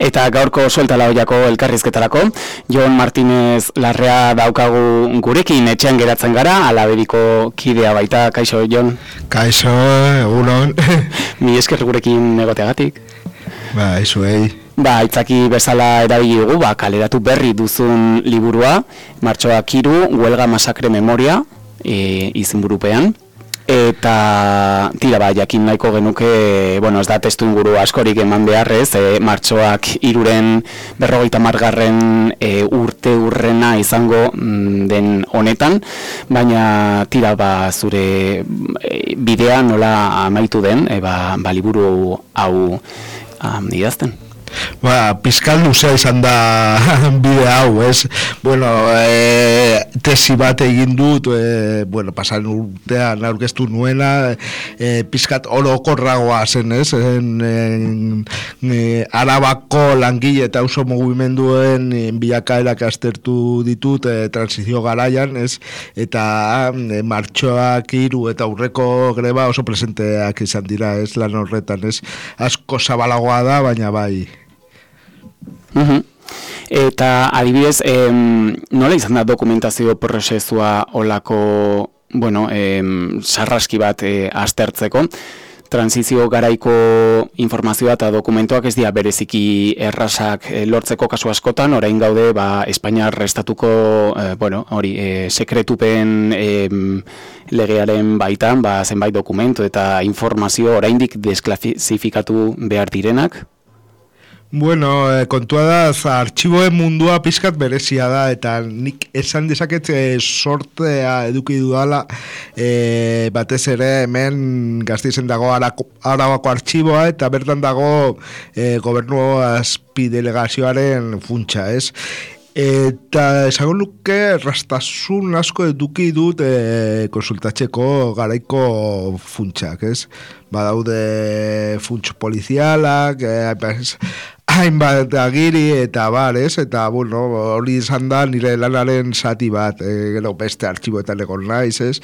Eta gaurko suelta laoiako elkarrizketarako, Jon Martinez Larrea daukagu gurekin etxean geratzen gara, Alabediko kidea baita. Kaixo, Jon? Kaixo, egunon. Mi esker gurekin egoteagatik. Izuei. Aitzaki bezala erabili dugu, kaleratu berri duzun liburua, Martxoak 3, Huelga Masakre Memoria, izenburupean. Eta jakin nahiko genuke, ez da testu inguru askorik eman beharrez, Martxoak 3-ren 50. Urte urrena izango den honetan, baina zure bidea nola amaitu den, liburu hau idazten. Pizkal luzea izan da bide hau, ez? Tesi bat egin dut, pasan urtean aurkeztu nuena, pizkat orokorragoa zen, ez? Arabako langile eta auzo mugimenduen bilakaerak aztertu ditut transizio garaian, ez? Eta Martxoak 3 eta aurreko greba oso presenteak izan dira, ez? Lan horretan, ez? Asko zabalagoa da, baina bai. Eta adibidez, nola izan da dokumentazio prozesua olako, sarraski bat aztertzeko? Transizio garaiko informazioa eta dokumentuak ez dira bereziki errazak lortzeko kasu askotan, orain gaude Espainiar estatuko sekretupen legearen baitan, zenbait dokumentu eta informazio oraindik desklasifikatu behar direnak? Kontua da, artxiboen mundua pizkat berezia da, eta nik esan dezaket sortea eduki dudala, batez ere hemen Gasteizen dago Arabako artxiboa, eta bertan dago gobernu azpidelegazioaren funtsa, ez? Eta esango luke rastasun asko eduki dut konsultatzeko garaiko funtsak, ez? Badaude funts polizialak, hainbat agiri eta ez? Eta hori izan da nire lanaren zati bat, gero beste artxiboetan egon naiz, ez?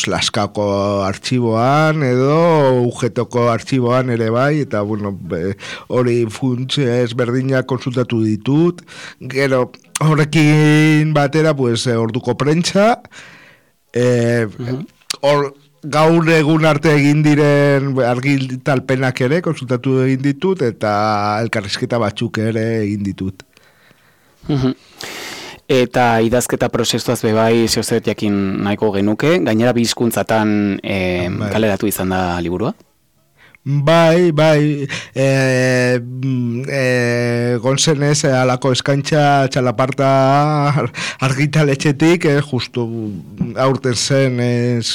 Laskako artxiboan edo UGToko artxiboan ere bai, eta hori funts ezberdinak konsultatu ditut. Gero horrekin batera orduko prentsa, gaur egun arte egin diren argitalpenak ere konsultatu egin ditut, eta elkarrizketa batzuk ere egin ditut. Eta idazketa prozesuaz bebai zeozet jakin nahiko genuke, gainera bi hizkuntzatan kaleratu izan da liburua? Bai, gonzenez alako eskaintza txalaparta argitaletxetik, justu aurten zen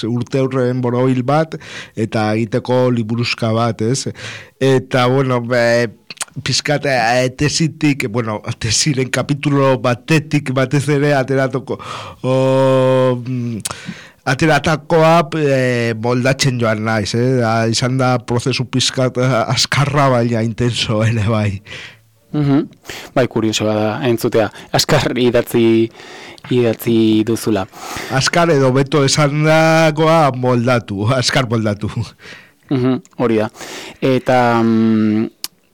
urte horren borobil bat, eta egiteko liburuzka bat, ez? Eta, pizkat tesitik, tesiren kapitulo batetik batez ere ateratakoa moldatzen joan naiz, izan da prozesu pizkat askarra baina intenso ere bai. Bai, kuriosoa da entzutea, askar idatzi duzula. Askar edo beto esan dagoa askar moldatu. Hori da. Eta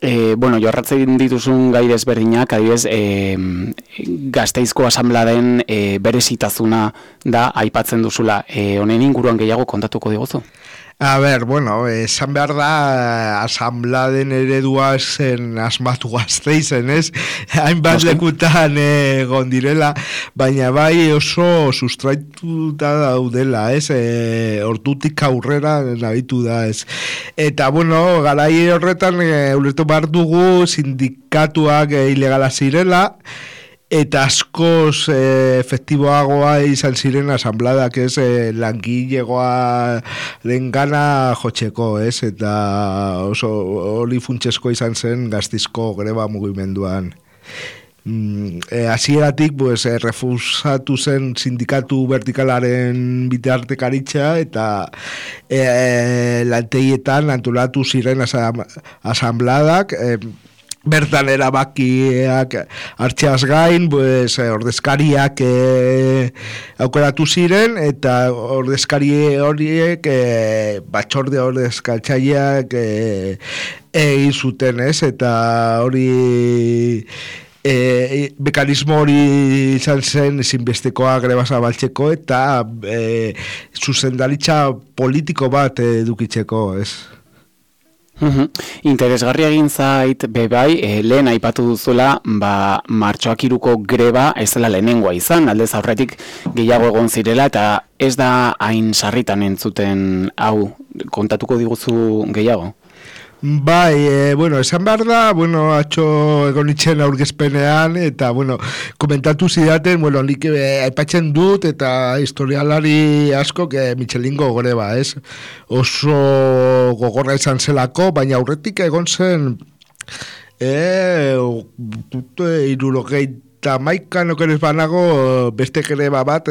jorratzen dituzun gai desberdinak, adibidez, Gasteizko asanbladen berezitazuna da aipatzen duzula. Honen inguruan gehiago kontatuko diguzu? Esan behar da asanbladen eredua zen asmatu Gasteizen, ez? Hainbat lekutan egon direla, baina bai oso sustraituta daudela, ez? Hortutik aurrera nabitu da, ez? Eta, garai horretan ulertu behar dugu sindikatuak ilegala zirela, eta askoz efektiboagoa izan ziren asanbladak, ez, langilegoa dengana jotzeko, ez, eta oso hori funtsesko izan zen Gasteizko greba mugimenduan. Hasieratik refusatu zen sindikatu vertikalaren bitartekaritza, eta lantegietan antolatu ziren asanbladak, bertan erabakiak hartzeaz gain, ordezkariak aukeratu ziren, eta ordezkari horiek batzorde ordezkatzaileak egin zuten, ez? Eta hori mekanismo hori izan zen ezinbestekoa greba zabaltzeko eta zuzendaritza politiko bat edukitzeko, ez? Interesgarria egin zait bebai, lehen aipatu duzuela, martxoak 3ko greba ez dela lehenengoa izan, aldez aurretik gehiago egon zirela, eta ez da hain sarritan entzuten hau, kontatuko diguzu gehiago? Bai, esan behar da, atxo egon itxen aurkezpenean, eta, komentatu zidaten, nik aipatzen dut, eta historialari asko, Michelingo greba, ez? Oso gogorra izan zelako, baina aurretik egon zen, irurogeita maikan okeres banago beste greba bat,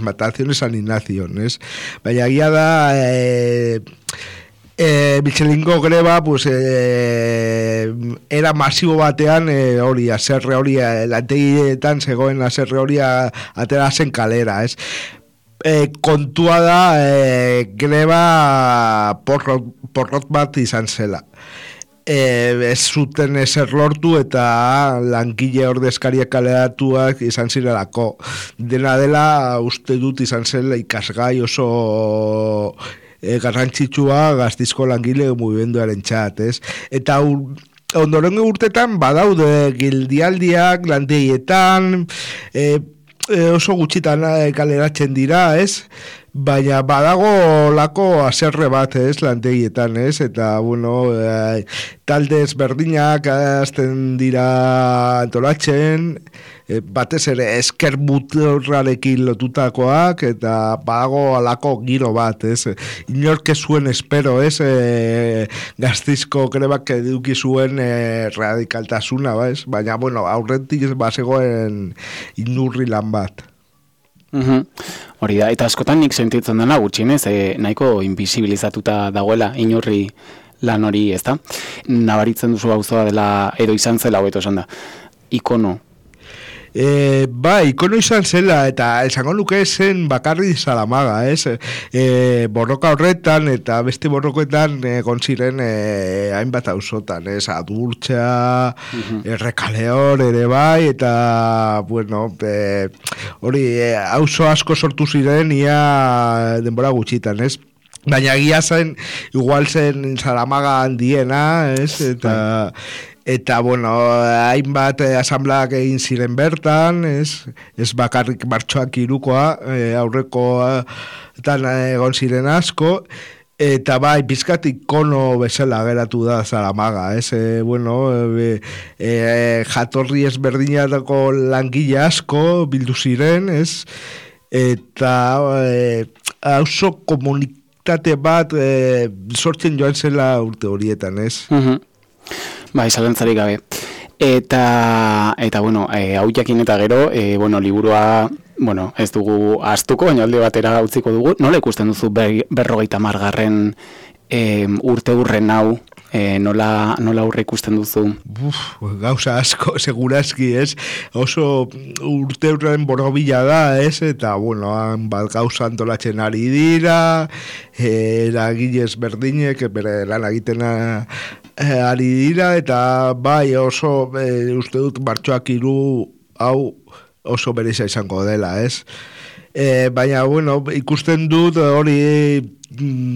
Mataciones San Ignacio, ez? Baina gira da, Michelingo greba era masibo batean hori aserre hori lantegietan zegoen aserre hori atera zen kalera, ez? Kontua da greba porrot bat izan zela. Ez zuten ezer lortu eta langile ordezkariak kaleratuak izan zirelako. Dena dela uste dut izan zela ikasgai oso garrantzitsua Gasteizko langile mugimenduaren txat, ez? Eta ondorengo urtetan badaude gildialdiak lantegietan, oso gutxitan kaleratzen dira, ez? Baina badago lako aserre bat, ez, lantegietan, ez? Eta, talde ezberdinak azten dira antolatzen, batez ere esker muturrarekin lotutakoak, eta badago alako giro bat, ez? Inork ez zuen espero, ez? Gasteizko grebak eduki zuen radikaltasuna, ez? Baina, aurretik bazegoen inurri lan bat. Hori da, eta askotan nik sentitzen dena gutxienez, nahiko invisibilizatuta dagoela inurri lan hori, ezta? Nabaritzen duzu gauzoa dela, edo izan zela, hobeto esan da, ikono. Ikono izan zela, eta esango nuke zen bakarri Zaramaga, ez? Borroka horretan, eta beste borroketan egon ziren hainbat auzotan, ez? Adurtza, Errekaleor ere bai, eta, hori, auzo asko sortu ziren, ia denbora gutxitan, ez? Baina egia zen, igual zen Zaramaga handiena, ez? Eta hainbat asambleak egin ziren bertan, ez bakarrik martxoak 3koa, aurrekoetan egon ziren asko, eta pizkat ikono bezala geratu da Zaramaga, ez? Jatorri ezberdinetako langile asko bildu ziren, ez? Eta auzo komunitate bat sortzen joan zela urte horietan, ez? Bai, zalantzarik gabe. Eta hau jakin eta gero, liburua, ez dugu ahaztuko, baina alde batera utziko dugu. Nola ikusten duzu 50. Urte hurren hau, nola aurre ikusten duzu? Gauza asko, segurazki, ez? Oso urte hurren borobila da, ez? Eta, bat gauza antolatzen ari dira, eragilez berdinek, bere lan egiten ari dira, eta oso uste dut martxoak 3 hau oso bereza izango dela, ez? Baina, ikusten dut hori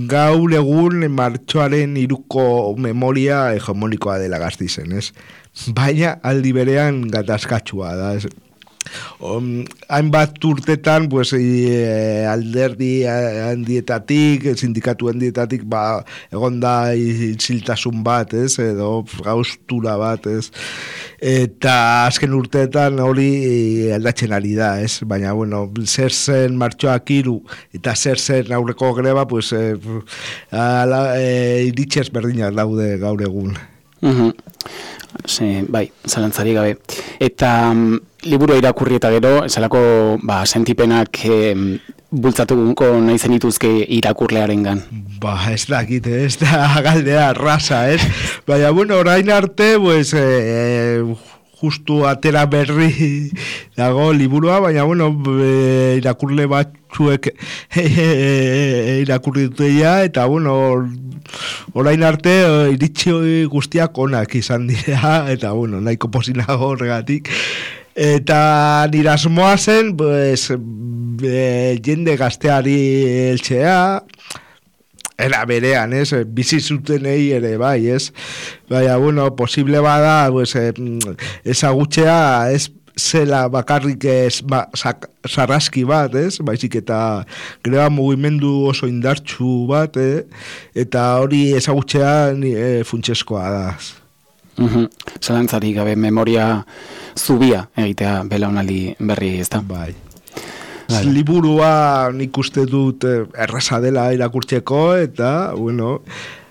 gaur egun martxoaren 3ko memoria hegemonikoa dela Gasteizen, ez? Baina aldi berean gatazkatsua da, ez? Hainbat urtetan alderdi handietatik, sindikatu handietatik egon da isiltasun bat, ez? Edo gauztura bat, ez? Eta azken urteetan hori aldatzen ari da, ez? Baina, zer zen martxoak 3 eta zer zen aurreko greba, iritzez berdinak daude gaur egun. Bai, zalantzari gabe. Eta liburua irakurri eta gero, esalako sentipenak bultzatuko nahi zenituzke irakurlearengan. Ez dakit, ez da galdea raza, ez? Baina, orain arte, justu atera berri dago liburua, baina bueno, irakurle batzuek irakurri duteia, eta bueno, orain arte iritsi guztiak onak izan dira, eta bueno, nahiko pozinago horregatik. Eta nire asmoa zen, pues, jende gazteari heltzea, era berean, bizi zutenei ere, bai, baina, bueno, posible bada, pues, ezagutzea, zela bakarrik sarraski bat, baizik eta greba mugimendu oso indartsu bat, eta hori ezagutzea funtsezkoa da. Zalantzarik gabe memoria zubia egitea belaunaldi berri, ezta? Bai. Liburua nik uste dut erraza dela irakurtzeko, eta, bueno,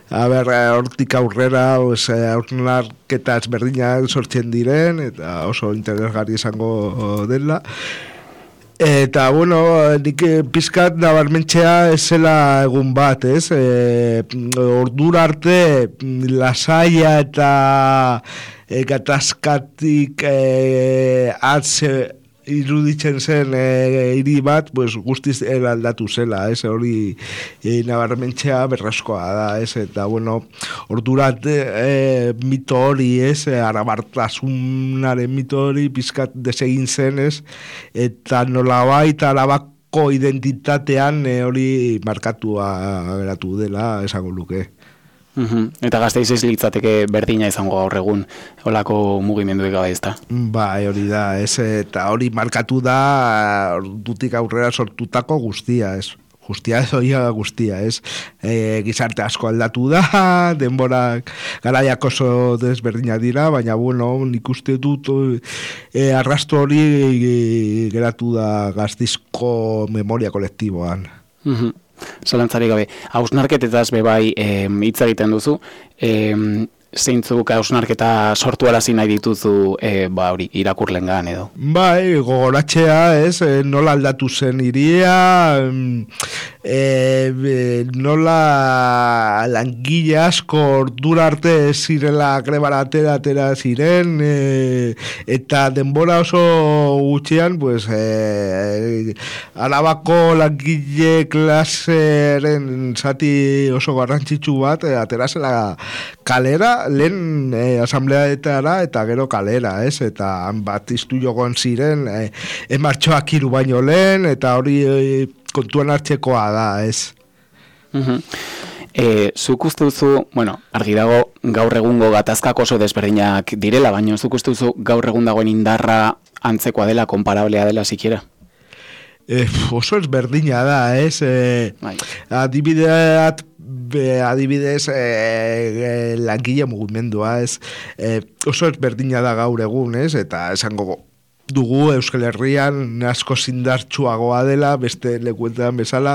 hortik aurrera hausnarketa ezberdinak sortzen diren, eta oso interesgarri izango dela. Eta, bueno, nik pizkat nabarmentzea zela egun bat, ordura arte lasaia eta gatazkatik atze iruditzen zen hiri bat, pues, guztiz aldatu zela, hori nabarmentzea berraskoa da, eta, bueno, ordurat mito hori, arabartasunaren mito hori pizkat desegin zen, eta nolabait arabako identitatean hori markatua geratu dela, esango luke. Eta Gasteiz ez litzateke berdina izango gaur egun olako mugimenduek gabe, ezta? Bai, hori da, eta hori markatu da dutik aurrera sortutako guztia, guztia guztia, gizarte asko aldatu da, denborak garaiak oso desberdina dira, baina, bueno, nik uste dut arrasto hori geratu da Gasteizko memoria kolektiboan. Zalantzari gabe, hausnarketetaz bebai hitz egiten duzu, zeintzuk hausnarketa sortu arazi nahi dituzu hori irakurlengan edo? Bai, gogoratzea, nola aldatu zen hiria, nola langile asko ordura arte zirela grebara atera ziren, eta denbora oso gutxian, pues, Arabako langile klaseren zati oso garrantzitsu bat, atera zela kalera, lehen asambleaetara eta gero kalera, eta bat iztu jogon ziren, martxoak 3 baino lehen, eta hori kontuan hartzekoa da, Zuk uste duzu, bueno, argi dago gaur egungo gatazkak oso desberdinak direla, baina zuk uste duzu gaur egun dagoen indarra antzekoa dela, konparablea dela sikiera? Oso ezberdina da, adibidez langile mugimendua, oso ezberdina da gaur egun, eta esango dugu Euskal Herrian asko indartsuagoa dela, beste lekuetan bezala,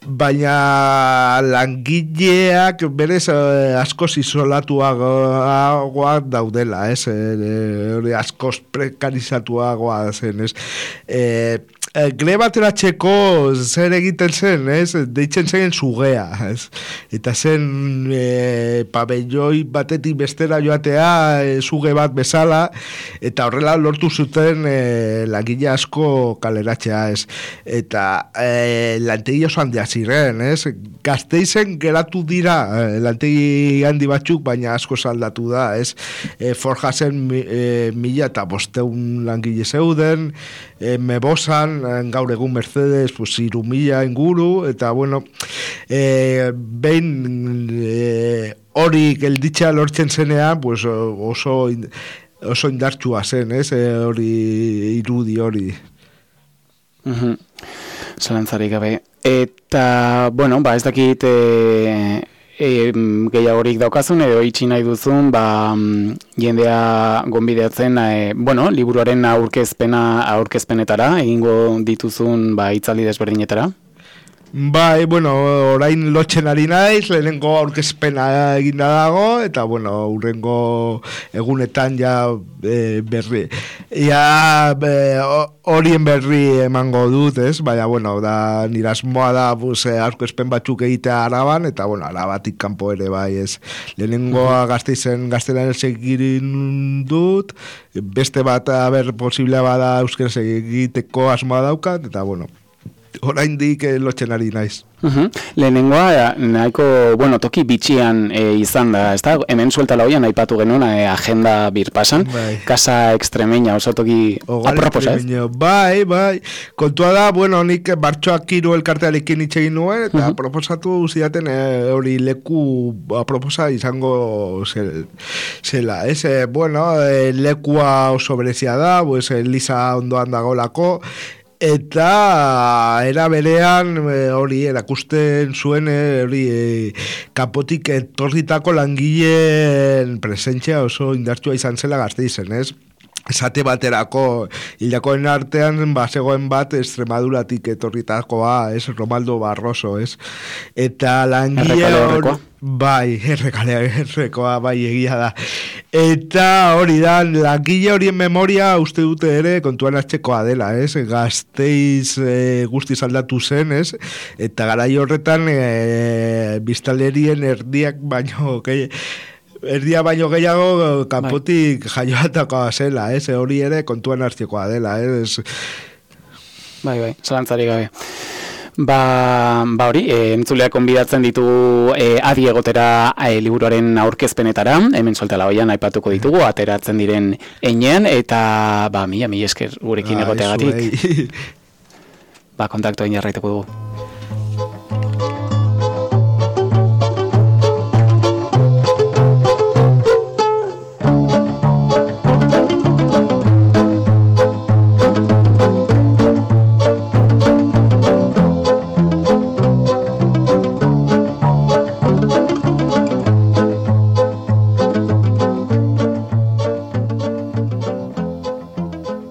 baina langileak berez asko isolatuagoak daudela, asko prekarizatuagoa zen, greba ateratzeko zer egiten zen, deitzen zen sugea, eta zen pabelloi batetik bestera joatea suge bat bezala, eta horrela lortu zuten langile asko kaleratzea, eta lantegi oso handia ziren, Gasteizen geratu dira lantegi handi batzuk, baina asko saldatu da, Forja zen 1500 langile zeuden, Mebosan gaur egun Mercedes, pues 3000 inguru, eta bueno, behin hori gelditza lortzen zenean, pues oso indartsua zen, hori irudi hori. Zalantzarik gabe. Eta, bueno, ez dakit gehiagorik daukazun edo itxi nahi duzun, jendea gonbideatzen, liburuaren aurkezpenetara, egingo dituzun hitzaldi desberdinetara? Bai, bueno, orain lotzen ari naiz, lehenengo aurkezpena eginda dago, eta, bueno, urrengo egunetan ja berri. Ja horien berri emango dut, ez? Baina, bueno, da, nire asmoa da, aurkezpen batzuk egitea Araban, eta, bueno, Arabatik kanpo ere, bai, ez? Lehenengoa Gasteizen gaztelaniaz egin dut, beste bat, posiblea bada euskaraz egiteko asmoa daukat, eta, bueno, oraindik lotzen ari naiz. Lehenengoa, nahiko, bueno, toki bitxian izan da, ez da? Hemen suelta lauian aipatu genuen agenda birpasan, Casa Extremeña, oso toki aproposa, ez? Bai, kontua da, bueno, nik Bartxoak Hiru elkartearekin hitz egin nuen, eta proposatu zidaten hori leku aproposa izango zela, ez? Bueno, lekua oso berezia da, pues, Eliza ondoan dagolako, eta era berean hori erakusten zuen hori kanpotik etorritako langileen presentzia oso indartsua izan zela Gasteizen, ez? Esate baterako hilakoen artean zegoen bat Extremaduratik etorritakoa, ez? Romaldo Barroso, ez? Eta langile hori... Bai, errekoa, bai, egia da. Eta hori da, langile horien memoria uste dute ere kontuan hartzekoa dela, ez? Gasteiz guztiz aldatu zen, ez? Eta garai horretan biztanlerien erdia baino gehiago kanpotik jaioatakoa zela, ez? Hori ere kontuan hartzekoa dela, ez? Bai, zalantzari gabe. Ba hori, entzuleak konbidatzen ditu adi egotera liburuaren aurkezpenetara, hemen soltala hoian aipatuko ditugu, ateratzen diren einean, eta mila esker gurekin egoteagatik. Kontaktoen jarraituko dugu.